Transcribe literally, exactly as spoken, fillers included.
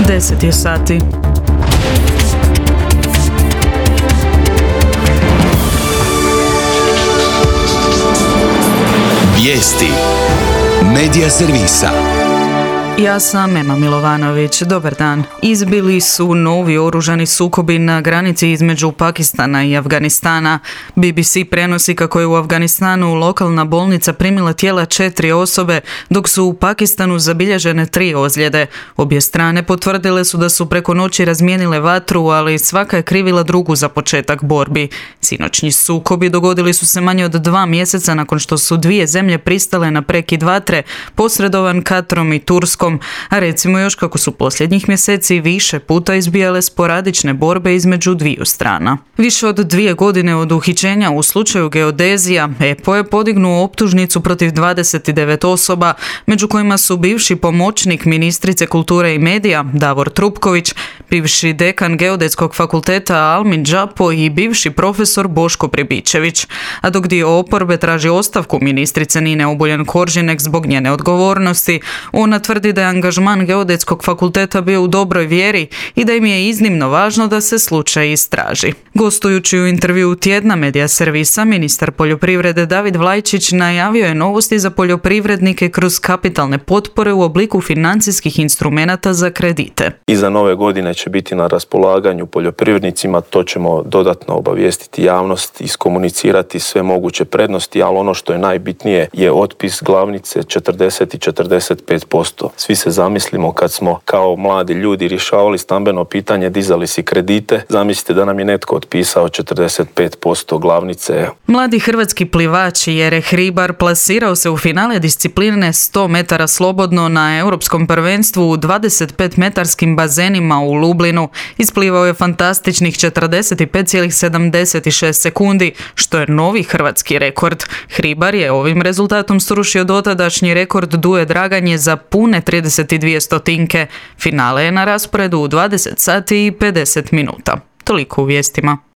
deset je sati. Vijesti Medija servisa. Ja sam Ema Milovanović. Dobar dan. Izbili su novi oružani sukobi na granici između Pakistana i Afganistana. B B C prenosi kako je u Afganistanu lokalna bolnica primila tijela četiri osobe, dok su u Pakistanu zabilježene tri ozljede. Obje strane potvrdile su da su preko noći razmijenile vatru, ali svaka je krivila drugu za početak borbi. Sinoćnji sukobi dogodili su se manje od dva mjeseca nakon što su dvije zemlje pristale na prekid vatre, posredovan Katrom i Turskom, a recimo još kako su posljednjih mjeseci više puta izbijale sporadične borbe između dviju strana. Više od dvije godine od uhićenja u slučaju geodezija, E P O je podignuo optužnicu protiv dvadeset devet osoba, među kojima su bivši pomoćnik ministrice kulture i medija Davor Trupković, bivši dekan Geodetskog fakulteta Almin Džapo i bivši profesor Boško Pribičević. A dok dio oporbe traži ostavku ministrice Nine Obuljen Koržinek zbog njene odgovornosti, ona tvrdi da je angažman Geodetskog fakulteta bio u dobroj vjeri i da im je iznimno važno da se slučaj istraži. Gostujući u intervjuu tjedna Medija servisa, ministar poljoprivrede David Vlajčić najavio je novosti za poljoprivrednike kroz kapitalne potpore u obliku financijskih instrumenata za kredite. Iza nove godine će biti na raspolaganju poljoprivrednicima, to ćemo dodatno obavijestiti javnost, iskomunicirati sve moguće prednosti, ali ono što je najbitnije je otpis glavnice četrdeset i četrdeset pet posto. Svi se zamislimo kad smo kao mladi ljudi rješavali stambeno pitanje, dizali si kredite, zamislite da nam je netko otpisao četrdeset pet posto glavnice. Mladi hrvatski plivač Jere Hribar plasirao se u finale discipline sto metara slobodno na europskom prvenstvu u dvadeset pet metarskim bazenima u Lublinu. Isplivao je fantastičnih četrdeset pet zarez sedamdeset šest sekundi, što je novi hrvatski rekord. Hribar je ovim rezultatom srušio dotadašnji rekord Duje Draganje za pune trideset dvije stotinke. Finale je na rasporedu u dvadeset sati i pedeset minuta. Toliko u vijestima.